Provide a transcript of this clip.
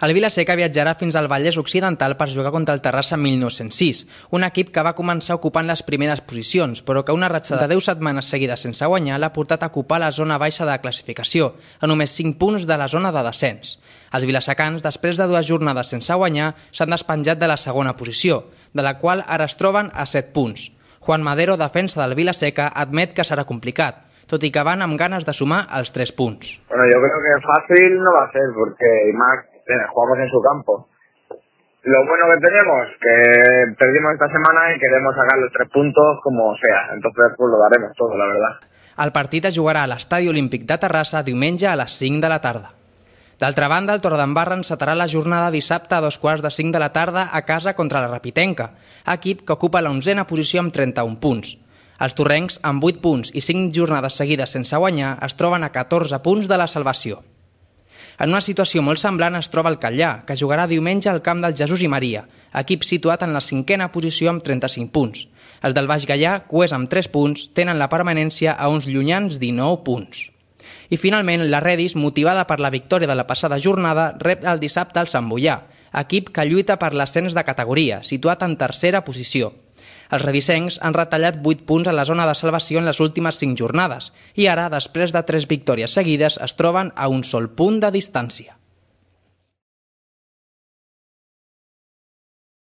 El Vila-seca viatjarà fins al Vallès Occidental per jugar contra el Terrassa 1906, un equip que va començar ocupant les primeres posicions, però que una ratxa de 10 setmanes seguides sense guanyar l'ha portat a ocupar la zona baixa de classificació, a només 5 punts de la zona de descens. Els vilasecans, després de 2 jornades sense guanyar, s'han despenjat de la segona posició, de la qual ara es troben a 7 punts. Juan Madero, defensa del Vila-seca, admet que serà complicat, tot i que van amb ganes de sumar els 3 punts. Bueno, yo creo que fácil no va a ser, porque más jugamos en su campo. Lo bueno que tenemos, que perdimos esta semana y queremos sacar los 3 puntos como sea, entonces pues lo daremos todo, la verdad. El partit es jugarà a l'Estadi Olímpic de Terrassa diumenge a les 5 de la tarda. D'altra banda, el Torredembarra encetarà la jornada dissabte a 2:45 de la tarda a casa contra la Rapitenca, equip que ocupa la 11a posició amb 31 punts. Els torrencs, amb 8 punts i 5 jornades seguides sense guanyar, es troben a 14 punts de la salvació. En una situació molt semblant es troba el Catllà, que jugarà diumenge al camp del Jesús i Maria, equip situat en la 5a posició amb 35 punts. Els del Baix Gaià, cuers amb 3 punts, tenen la permanència a uns llunyans 19 punts. I finalment, la Redis, motivada per la victòria de la passada jornada, rep el dissabte al Sant Boià, equip que lluita per l'ascens de categoria, situat en 3a posició. Els redisencs han retallat 8 punts a la zona de salvació en les últimes 5 jornades i ara, després de 3 victòries seguides, es troben a un sol punt de distància.